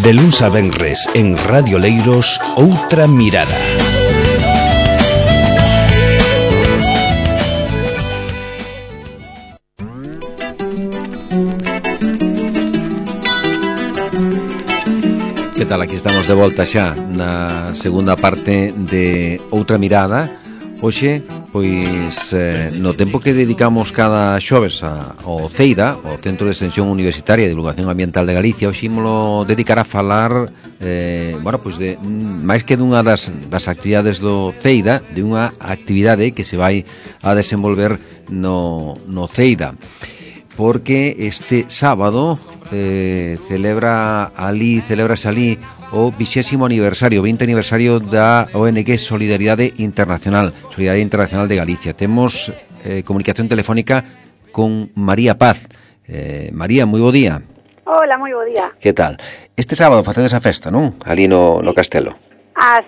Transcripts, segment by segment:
De luns a venres en Radio Leiros, Outra Mirada. Que tal? Aquí estamos de volta xa na segunda parte de Outra Mirada. Hoxe, pois, no tempo que dedicamos cada xoves ao CEIDA, o Centro de Extensión Universitaria de Divulgación Ambiental de Galicia, hoxe ímolo dedicar a falar, bueno, pois de máis que dunha das actividades do CEIDA, de unha actividade que se vai a desenvolver no CEIDA, porque este sábado celebrase ali o 20º aniversario, 20 aniversario da ONG Solidaridade Internacional de Galicia. Temos comunicación telefónica con María Paz. María, moi bo día. Hola, moi bo día. Que tal? Este sábado facedes a festa, non? Ali no castelo.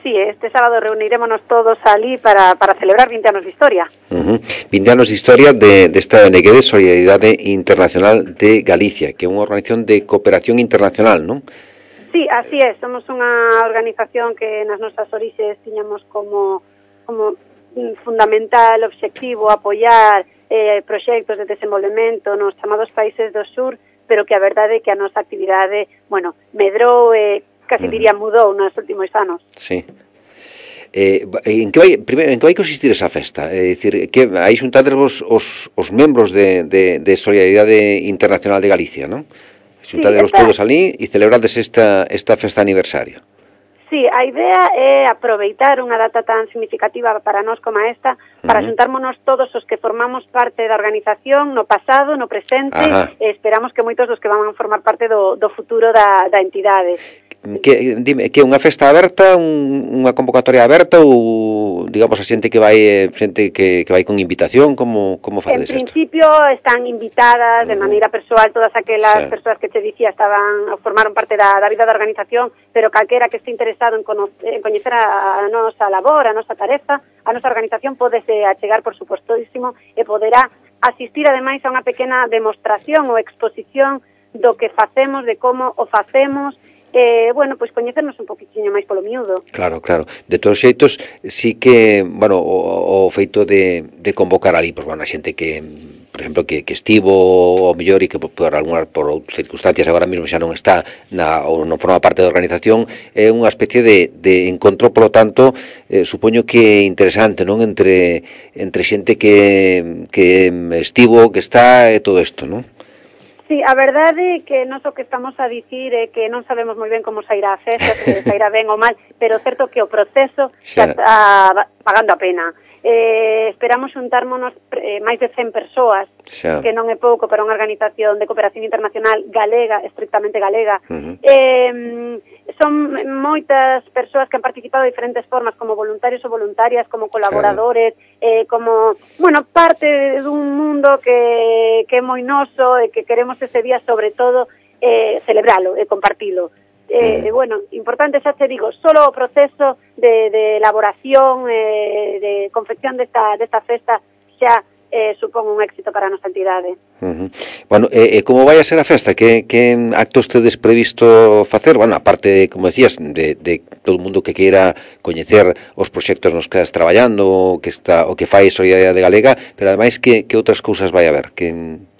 Sí, este sábado reunirémonos todos ali para celebrar 20 anos de historia. 20 anos de historia desta ONG de Solidaridade Internacional de Galicia, que é unha organización de cooperación internacional, non? Sí, así é. Somos unha organización que nas nosas orixes tiñamos como fundamental obxectivo apoiar proxectos de desenvolvemento nos chamados países do sur, pero que a verdade é que a nosa actividade, medrou e casi diría mudou nos últimos anos. Sí. En que vai consistir esa festa? É dicir, que aí xuntadevos os membros de Solidaridade Internacional de Galicia, non? Xuntadevos todos ali e celebrades esta festa aniversario. Sí, a idea é aproveitar unha data tan significativa para nós como esta, para xuntármonos todos os que formamos parte da organización no pasado, no presente, e esperamos que moitos dos que van a formar parte do futuro da entidade. Dime, que unha festa aberta, unha convocatoria aberta ou, digamos, a xente que vai con invitación, como facedes isto? En principio están invitadas de maneira persoal todas aquelas persoas que te dicía formaron parte da vida da organización, pero calquera que este interesado en coñecer a nosa labor, a nosa tarefa, a nosa organización podese achegar, por supostísimo, e poderá asistir ademais a unha pequena demostración ou exposición do que facemos, de como o facemos, pois coñecernos un poquitiño máis polo miúdo. Claro. De todos xeitos, sí que, o feito de convocar ali, pois, a xente que, por exemplo, que estivo o mellor e que por outras circunstancias agora mesmo xa non está ou non forma parte da organización, é unha especie de encontro, polo tanto, supoño que interesante, non? Entre xente que estivo, que está, e todo isto, non? Sí, a verdade é que nós o que estamos a dicir é que non sabemos moi ben como sairá a festa, se sairá ben ou mal, pero certo que o proceso xa está pagando a pena. Esperamos xuntármonos máis de 100 persoas, que non é pouco para unha organización de cooperación internacional galega, estrictamente galega. Son moitas persoas que han participado de diferentes formas, como voluntarios ou voluntarias, como colaboradores, como, parte dun mundo que é moi noso e que queremos ese día, sobre todo, celebralo e compartilo. Importante, xa te digo, solo o proceso de elaboración, de confección desta festa xa supón un éxito para a nosa entidade. Como vai a ser a festa? Que actos tedes previsto facer? Aparte, como decías, de todo o mundo que queira coñecer os proxectos nos que estás traballando, o que fai Solidaridade Galega, pero ademais que outras cousas vai haber?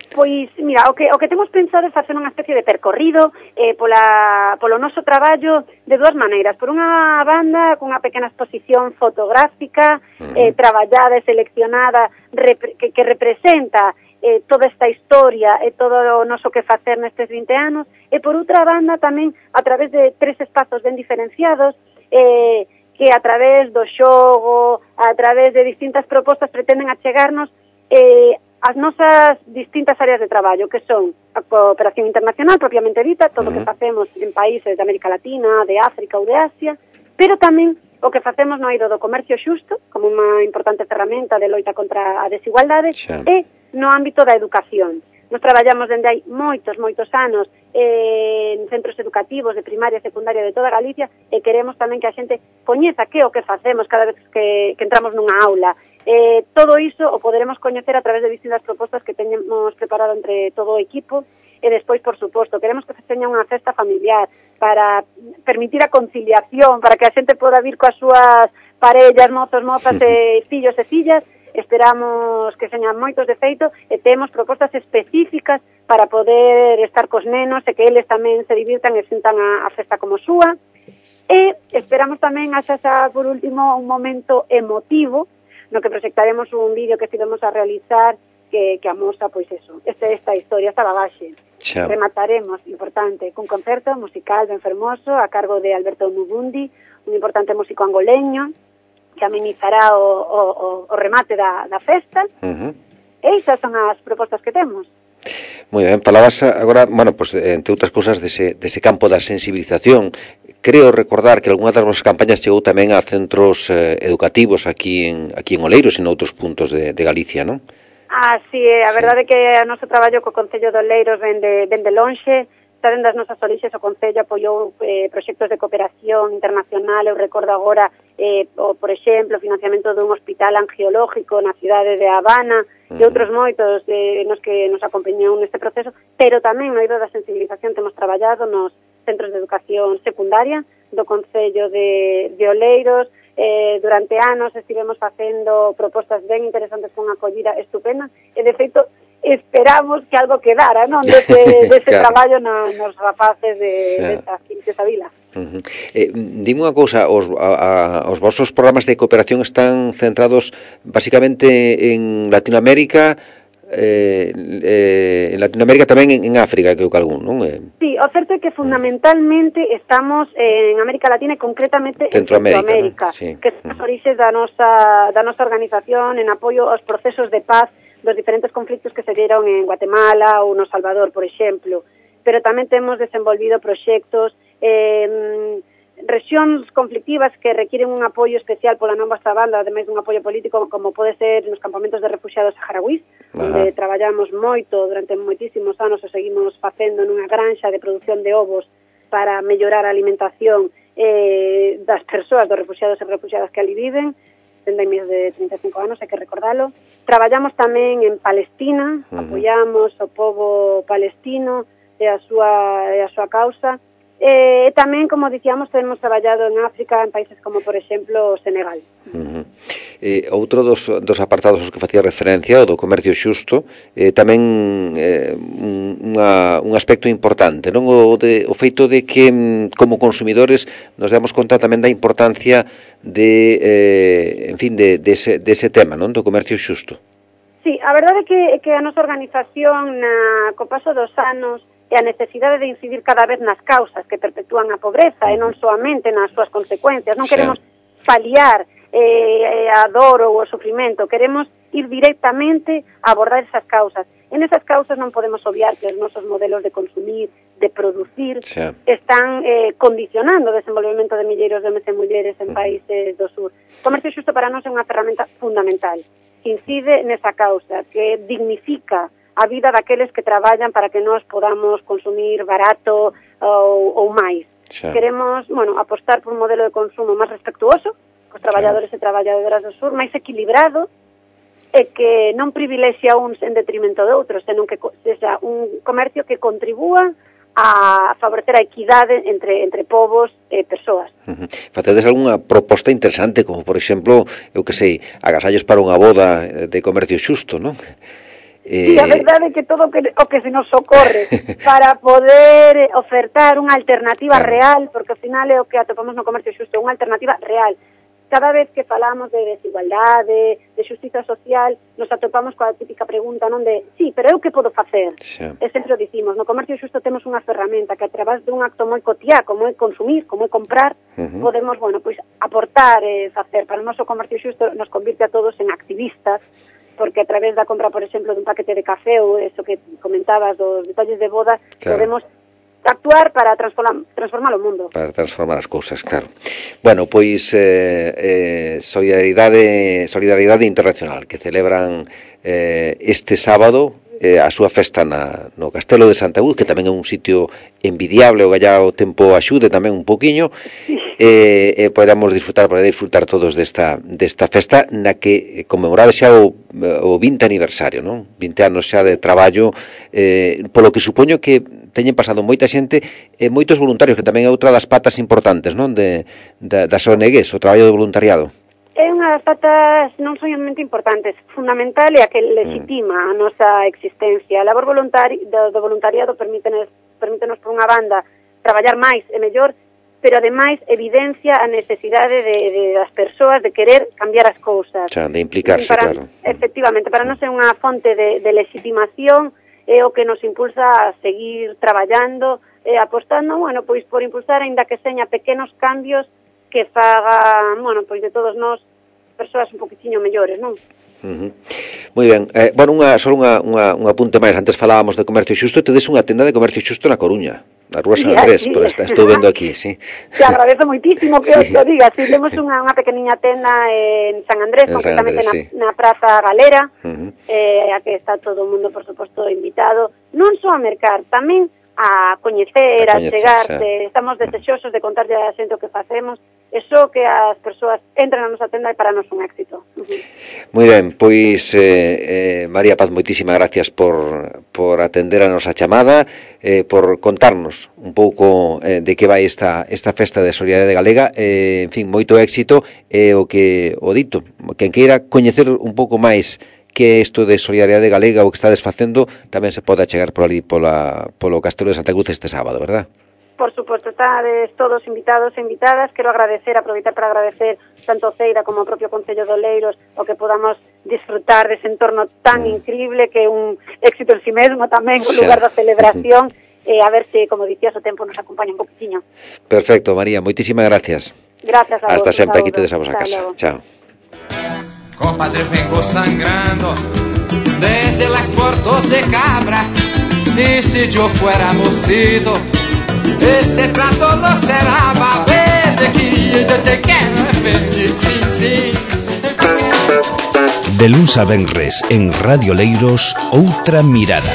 Pois, mira, o que temos pensado é facer unha especie de percorrido polo noso traballo de dúas maneiras. Por unha banda, con unha pequena exposición fotográfica, traballada e seleccionada, que representa toda esta historia e todo o noso que facer nestes 20 anos, e por outra banda tamén a través de 3 espazos ben diferenciados, que a través do xogo, a través de distintas propostas pretenden achegarnos as nosas distintas áreas de traballo, que son a cooperación internacional propiamente dita, todo o que facemos en países de América Latina, de África ou de Asia, pero tamén o que facemos no eido do comercio xusto, como unha importante ferramenta de loita contra a desigualdade, e no ámbito da educación. Nos traballamos dende hai moitos anos en centros educativos de primaria e secundaria de toda Galicia, e queremos tamén que a xente coñeza que o que facemos cada vez que entramos nunha aula. Todo iso o poderemos coñecer a través de distintas propostas que teñemos preparado entre todo o equipo, E despois, por suposto, queremos que se teña unha festa familiar para permitir a conciliación, para que a xente poda vir coas súas parellas, mozos, mozas e fillos e fillas. Esperamos que señan moitos de feito e temos propostas específicas para poder estar cos nenos e que eles tamén se divirtan e sintan a festa como súa. E esperamos tamén, xa por último, un momento emotivo no que proxectaremos un vídeo que estivemos a realizar que amosa, pois eso, esta historia, esta bagaxe. Xa. Remataremos, importante, cun concerto musical ben fermoso a cargo de Alberto Mubundi, un importante músico angoleño, que amenizará o remate da festa. E esas son as propostas que temos. Moi ben, falabas agora, bueno, pues, entre outras cousas dese campo da sensibilización. Creo recordar que algunha das vosas campañas chegou tamén a centros educativos aquí en Oleiros e en outros puntos de Galicia, non? Sí, a verdade é que o noso traballo co Concello de Oleiros ven de lonxe. Está dentro das nosas orixes, o Concello apoiou proxectos de cooperación internacional. Eu recordo agora, por exemplo, o financiamento dun hospital angiológico na cidade de Habana e outros moitos nos que nos acompañou neste proceso, pero tamén no eido da sensibilización temos traballado nos centros de educación secundaria do Concello de Oleiros. Durante anos estivemos facendo propostas ben interesantes con acollida estupenda e, de feito, esperamos que algo quedara, non? Dese claro. Traballo nos rapaces desa vila. Dime unha cousa, os vosos programas de cooperación están centrados basicamente en Latinoamérica, tamén en África, creo que algún, non? Sí, o certo é que fundamentalmente estamos en América Latina e concretamente en Centroamérica, ¿no? Sí. Que son as orixes da nosa organización en apoio aos procesos de paz dos diferentes conflictos que se dieron en Guatemala ou no Salvador, por exemplo. Pero tamén temos desenvolvido proxectos rexións conflictivas que requiren un apoio especial pola nosa banda, ademais dun apoio político, como pode ser nos campamentos de refugiados saharauís, onde traballamos moito durante moitísimos anos e seguimos facendo nunha granxa de produción de ovos para mellorar a alimentación das persoas, dos refugiados e refugiadas que ali viven. Tende máis de 35 anos, hai que recordalo. Traballamos tamén en Palestina, apoiamos o pobo palestino e a súa causa. E tamén, como dicíamos, temos traballado en África, en países como, por exemplo, Senegal. Outro dos apartados aos que facía referencia, o do comercio xusto, tamén un aspecto importante, non? O feito de que, como consumidores, nos damos conta tamén da importancia dese tema, non? Do comercio xusto. Sí, a verdade é que a nosa organización, co paso dos anos, e a necesidade de incidir cada vez nas causas que perpetúan a pobreza e non soamente nas súas consecuencias. Non queremos paliar a dor ou o sufrimento, queremos ir directamente a abordar esas causas. En esas causas non podemos obviar que os nosos modelos de consumir, de producir, están condicionando o desenvolvemento de milleiros de homes e mulleres en países do sur. O comercio xusto para nós é unha ferramenta fundamental que incide nesa causa, que dignifica a vida daqueles que traballan para que nós podamos consumir barato ou máis. Queremos, apostar por un modelo de consumo máis respectuoso cos traballadores e traballadoras do sur, máis equilibrado e que non privilexia uns en detrimento de outros, senón que sexa un comercio que contribúa a favorecer a equidade entre povos e persoas. Facedes algunha proposta interesante, como, por exemplo, eu que sei, agasallos para unha boda de comercio xusto, non? Sí, a verdade é que todo o que se nos ocorre para poder ofertar unha alternativa real, porque ao final é o que atopamos no comercio xusto, unha alternativa real. Cada vez que falamos de desigualdade, de xustiza social, nos atopamos coa típica pregunta, non de, sí, pero eu que podo facer? E sempre o dicimos, no comercio xusto temos unha ferramenta que a través dun acto moi cotiá, como é consumir, como é comprar, podemos, aportar e facer. Para o noso comercio xusto nos convirte a todos en activistas, porque a través da compra, por exemplo, dun paquete de café ou eso que comentabas dos detalles de boda, podemos actuar para transformar o mundo. Para transformar as cousas, claro. Bueno, pois solidaridade internacional que celebran este sábado a súa festa no Castelo de Santa Cruz, que tamén é un sitio envidiable, o gallá o tempo axude tamén un poquinho, poder disfrutar todos desta festa na que conmemorade xa o 20 aniversario, non? 20 anos xa de traballo, polo que supoño que teñen pasado moita xente e moitos voluntarios, que tamén é outra das patas importantes, non? Das ONGs, o traballo do voluntariado. É unha das patas non somente importantes, fundamental e a que legitima a nosa existencia. A labor do voluntariado permítenos por unha banda traballar máis e mellor, pero ademais evidencia a necesidade das persoas de querer cambiar as cousas. Xa, de implicarse, claro. Efectivamente, para nós é unha fonte de legitimación, é o que nos impulsa a seguir traballando, apostando, bueno, pois por impulsar, aínda que seña pequenos cambios que faga, bueno, pois de todos nós persoas un poquitiño mellores, non? Moi ben. Bueno, só un apunte máis. Antes falábamos de comercio xusto, tedes unha tenda de comercio xusto na Coruña, na Rúa San Andrés, por estou vendo aquí, sí. Te agradezo moitísimo que os lo digas. Sí, temos unha pequeniña tenda en San Andrés, concretamente na Praza Galera, a que está todo o mundo, por suposto, invitado, non só a mercar, tamén a coñecer, a chegarse. Estamos desexosos de contarlle a xente o que facemos, e só que as persoas entren na nosa tenda e para nos un éxito. Moi ben, pois María Paz, moitísimas gracias por atender a nosa chamada, por contarnos un pouco de que vai esta festa de Solidariedade Galega, en fin, moito éxito, e o dito, quen queira coñecer un pouco máis que é isto de Solidariedade Galega, o que estades facendo, tamén se pode achegar por ali polo Castelo de Santa Cruz este sábado, verdad? Por suposto, estades todos invitados e invitadas. Quero aproveitar para agradecer tanto Ceida como o propio Concello de Oleiros o que podamos disfrutar dese entorno tan increíble que é un éxito en si mesmo tamén, un lugar da celebración, e a ver se, como dicías, o tempo nos acompaña un poquitiño. Perfecto, María, moitísimas gracias. Gracias a vos. Hasta sempre, aquí tedes a vos a casa. Chao. Compadre, vengo sangrando desde las puertas de Cabra, y si yo fuera mocito, este trato no será, va a ver de que yo te quiero feliz, sí. De luns a venres en Radio Leiros, Outra Mirada.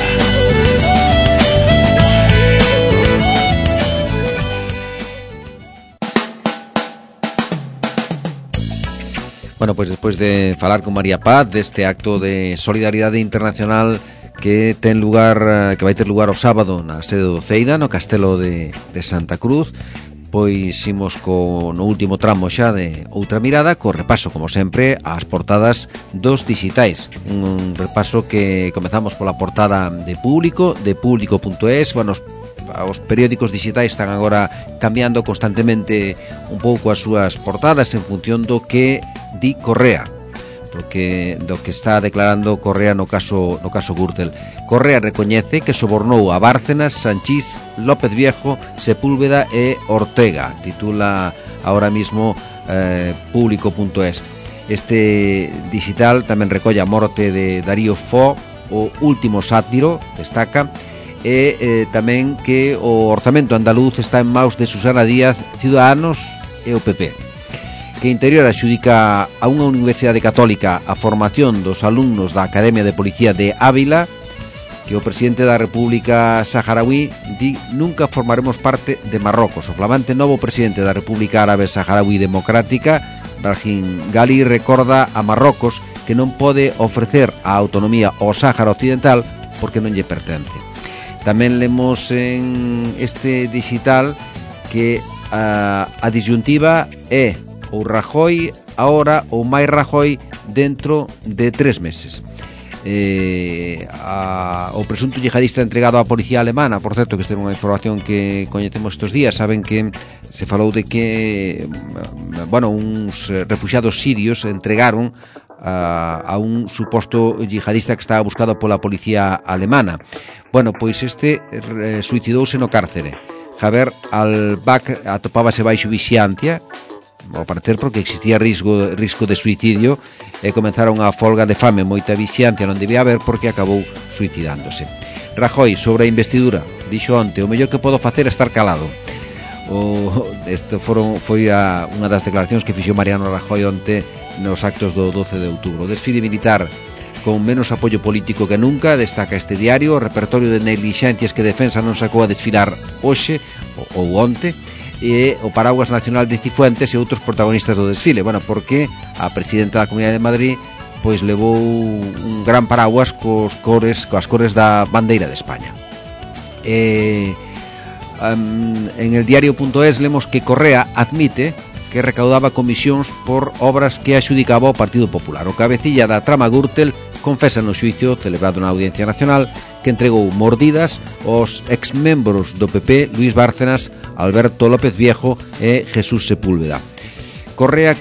Bueno, pues despois de falar con María Paz deste acto de solidariedade internacional que vai ter lugar o sábado na sede do Ceida, no Castelo de Santa Cruz, pois imos no último tramo xa de Outra Mirada, co repaso, como sempre, ás portadas dos digitais. Un repaso que comezamos pola portada de Público.es. Bueno, os periódicos digitais están agora cambiando constantemente un pouco as súas portadas en función do que di Correa, do que está declarando Correa no caso Gürtel. Correa recoñece que sobornou a Bárcenas, Sanchís, López Viejo, Sepúlveda e Ortega. Titula ahora mismo Público.es. Este digital tamén recolle a morte de Darío Fo, o último sátiro, destaca, e tamén que o orzamento andaluz está en maus de Susana Díaz, Ciudadanos e o PP. Que Interior adxudica a unha universidade católica a formación dos alumnos da Academia de Policía de Ávila, que o presidente da República Saharaui di nunca formaremos parte de Marrocos. O flamante novo presidente da República Árabe Saharaui Democrática, Brahim Ghali, recorda a Marrocos que non pode ofrecer a autonomía ao Sáhara Occidental porque non lle pertence. Tamén lemos en este digital que a disyuntiva é ou Rajoy ahora ou máis Rajoy dentro de 3 meses. O presunto yihadista entregado á policía alemana, por certo, que esta é unha información que coñecemos estes días. Saben que se falou de que uns refuxiados sirios entregaron a un suposto yihadista que estaba buscado pola policía alemana. Bueno, pois este suicidouse no cárcere. Javier Al-Bak atopábase baixo vixiancia, ao parecer porque existía risco de suicidio, e comenzaron a folga de fame. Moita vixiancia non debía haber porque acabou suicidándose. Rajoy, sobre a investidura, dixo onte: o mellor que podo facer é estar calado. Isto foi unha das declaracións que fixo Mariano Rajoy onte nos actos do 12 de outubro. O desfile militar con menos apoio político que nunca, destaca este diario. O repertorio de neglixencias que Defensa non sacou a desfilar hoxe ou onte, e o paraguas nacional de Cifuentes e outros protagonistas do desfile. Bueno, porque a presidenta da Comunidade de Madrid pois levou un gran paraguas coas cores da bandeira de España. En el diario.es lemos que Correa admite que recaudaba comisións por obras que axudicaba o Partido Popular. O cabecilla da trama Gürtel confesa no xuicio celebrado na Audiencia Nacional que entregou mordidas aos exmembros do PP Luis Bárcenas, Alberto López Viejo e Jesús Sepúlveda. Correa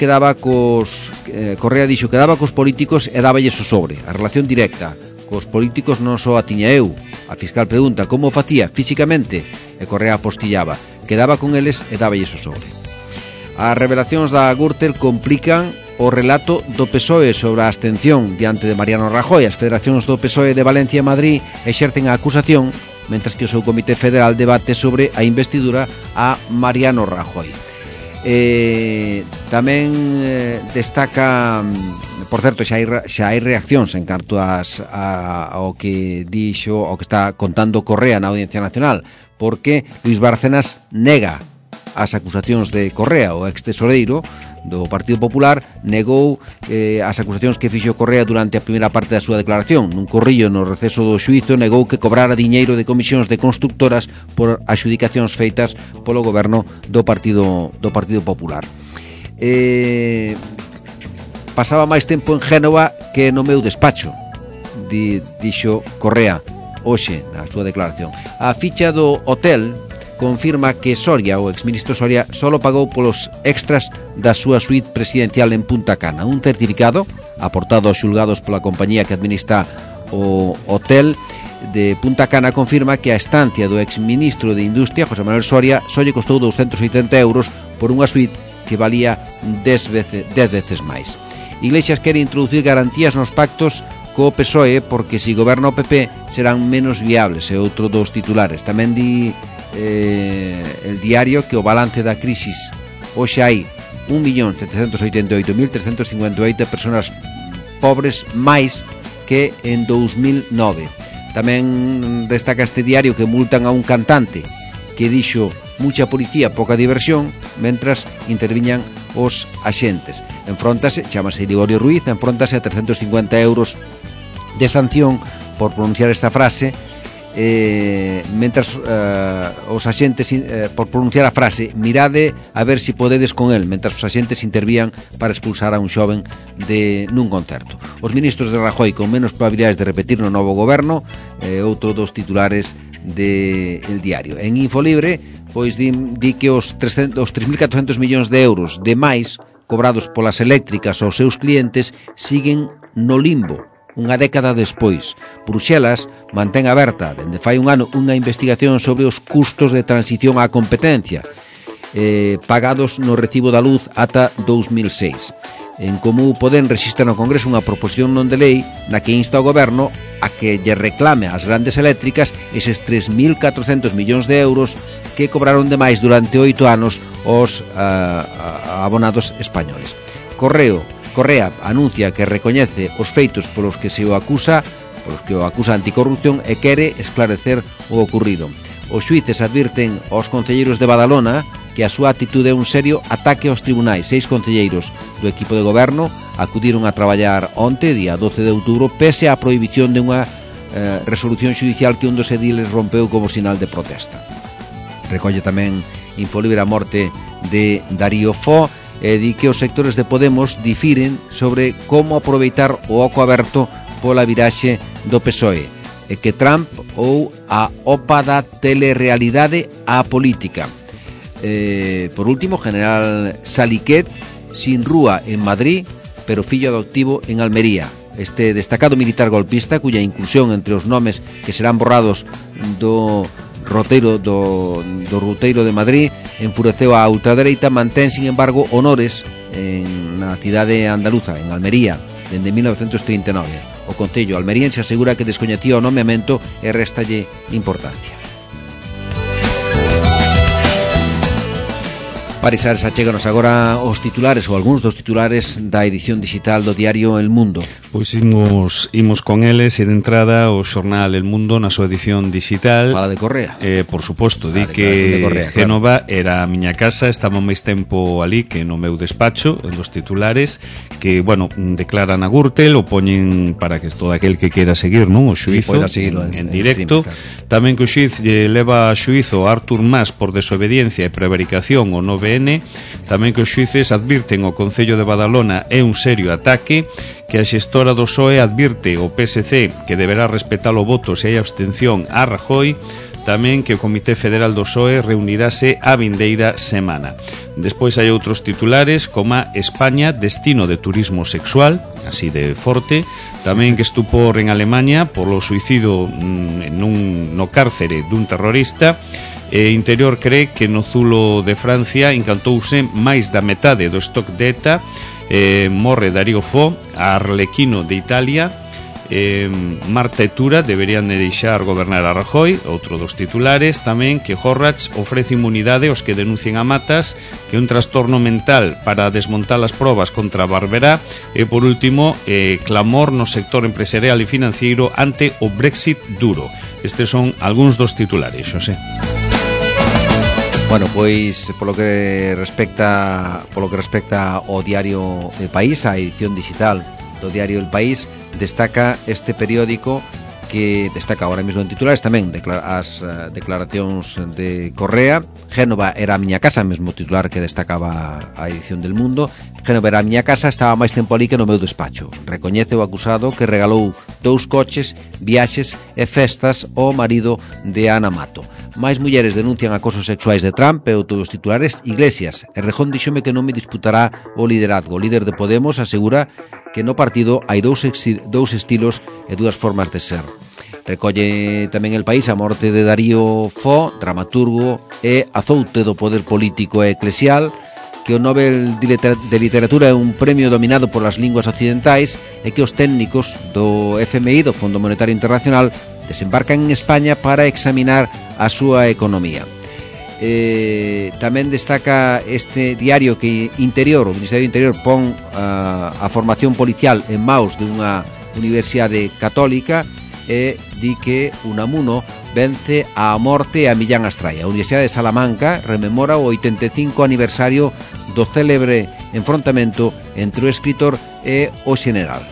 dixo que daba cos políticos e dáballes o sobre. A relación directa cos políticos non só a tiña eu. A fiscal pregunta como o facía físicamente e Correa apostillaba que daba con eles e dáballes o sobre. As revelacións da Gürtel complican o relato do PSOE sobre a abstención diante de Mariano Rajoy. As federacións do PSOE de Valencia e Madrid exercen a acusación, mentras que o seu Comité Federal debate sobre a investidura a Mariano Rajoy. Tamén destaca, por certo, xa hai reaccións en canto ao que dixo, ao que está contando Correa na Audiencia Nacional, porque Luis Bárcenas nega as acusacións de Correa. O ex-tesoreiro do Partido Popular negou as acusacións que fixo Correa durante a primeira parte da súa declaración. Nun corrillo no receso do xuízo negou que cobrara diñeiro de comisións de constructoras por adxudicacións feitas polo goberno do Partido Popular. Pasaba máis tempo en Génova que no meu despacho, dixo Correa hoxe na súa declaración. A ficha do hotel confirma que Soria, o exministro Soria, solo pagou polos extras da súa suite presidencial en Punta Cana. Un certificado aportado aos xulgados pola compañía que administra o hotel de Punta Cana confirma que a estancia do exministro de Industria, José Manuel Soria, só lle costou 280 euros por unha suite que valía 10 veces máis. Iglesias quere introducir garantías nos pactos co PSOE porque se goberna o PP serán menos viables, é outro dos titulares. Tamén di el diario que o balance da crisis hoxe hai 1.788.358 personas pobres máis que en 2009. Tamén destaca este diario que multan a un cantante que dixo mucha policía, poca diversión, mentras interviñan os axentes. Enfróntase, chamase Liborio Ruiz, enfróntase a 350 euros de sanción por pronunciar esta frase, mentras os axentes por pronunciar a frase mirade a ver si podedes con el, mentras os axentes intervían para expulsar a un xoven nun concerto. Os ministros de Rajoy con menos probabilidades de repetir no novo goberno, outro dos titulares de El Diario. En Infolibre pois di que os 3.400 millóns de euros de máis cobrados polas eléctricas aos seus clientes siguen no limbo unha década despois. Bruxelas mantén aberta dende fai un ano unha investigación sobre os custos de transición á competencia pagados no recibo da luz ata 2006. En Comú Podem rexistra no Congreso unha proposición non de lei na que insta ao goberno a que lle reclame ás grandes eléctricas eses 3.400 millóns de euros que cobraron de máis durante 8 anos os abonados españoles. Correa anuncia que recoñece os feitos polos que o acusa anticorrupción e quere esclarecer o ocurrido. Os xuíces advirten aos concelleiros de Badalona que a súa actitude é un serio ataque aos tribunais. 6 concelleiros do equipo de goberno acudiron a traballar onte, día 12 de outubro, pese á prohibición de unha resolución xudicial que un dos ediles rompeu como sinal de protesta. Recolle tamén Infolibre a morte de Darío Fo e di que os sectores de Podemos difiren sobre como aproveitar o oco aberto pola viraxe do PSOE e que Trump ou a OPA da telerealidade á política. Por último, General Saliquet sin rúa en Madrid, pero fillo adoptivo en Almería. Este destacado militar golpista, cuya inclusión entre os nomes que serán borrados do roteiro de Madrid enfureceu a ultradereita, mantén, sin embargo, honores na cidade andaluza, en Almería, dende 1939. O Concello almeriense asegura que descoñecía o nomeamento e réstalle importancia. Parisares, achéganos agora os titulares ou algúns dos titulares da edición digital do diario El Mundo. Pois imos con eles e de entrada o xornal El Mundo na súa edición digital. Fala de Correa. Por suposto, di que Correa, Génova era a miña casa, estaba máis tempo ali que no meu despacho, en dos titulares, que, bueno, declaran a Gürtel, o poñen para que todo aquel que quera seguir, non, o xuizo en directo. Stream, claro. Tamén que o xuiz leva a xuizo a Artur Mas por desobediencia e prevaricación o 9N. Tamén que os xuíces advirten o Concello de Badalona é un serio ataque, que a xestora do PSOE advirte o PSC que deberá respetar o voto se hai abstención a Rajoy. Tamén que o Comité Federal do PSOE reunirase a vindeira semana. Despois hai outros titulares como España, destino de turismo sexual, así de forte. Tamén que estupor en Alemania polo suicidio no cárcere dun terrorista. Interior cree que no Zulo de Francia encantouse máis da metade do stock de ETA. Morre Darío Fo, a Arlequino de Italia. Marta e Tura deberían de deixar gobernar a Rajoy. Outro dos titulares tamén que Horrachs ofrece inmunidade aos que denuncien a Matas, que é un trastorno mental para desmontar as probas contra Barberá. E por último, clamor no sector empresarial e financiero ante o Brexit duro. Estes son algúns dos titulares, Xosé. Bueno, pois polo que respecta ao diario El País, a edición digital do diario El País, destaca este periódico que destaca ahora mesmo en titulares tamén as declaracións de Correa. Génova era a miña casa, mesmo titular que destacaba a edición del Mundo. Génova era a miña casa, estaba máis tempo ali que no meu despacho. Recoñece o acusado que regalou 2 coches, viaxes e festas ao marido de Ana Mato. Máis mulleres denuncian acosos sexuais de Trump e outros dos titulares. Iglesias, Errejón díxome que non me disputará o liderazgo. O líder de Podemos asegura que no partido hai dous estilos e dúas formas de ser. Recolle tamén El País a morte de Darío Fo, dramaturgo e azoute do poder político e eclesial, que o Nobel de Literatura é un premio dominado polas linguas occidentais e que os técnicos do FMI, do Fondo Monetario Internacional, desembarcan en España para examinar a súa economía. Tamén destaca este diario que o Ministerio do Interior pon a formación policial en maus de unha universidade católica e di que Unamuno vence a morte a Millán Astray. A Universidade de Salamanca rememora o 85 aniversario do célebre enfrontamento entre o escritor e o xeneral.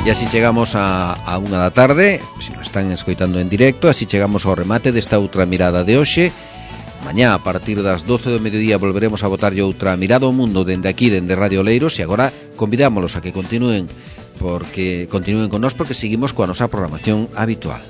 E así chegamos a 1 da tarde, se nos están escoitando en directo, así chegamos ao remate desta outra mirada de hoxe. Mañá, a partir das 12 do mediodía, volveremos a botarlle outra mirada ao mundo dende aquí, dende Radio Oleiros, e agora convidámolos a que continúen con nós porque seguimos coa nosa programación habitual.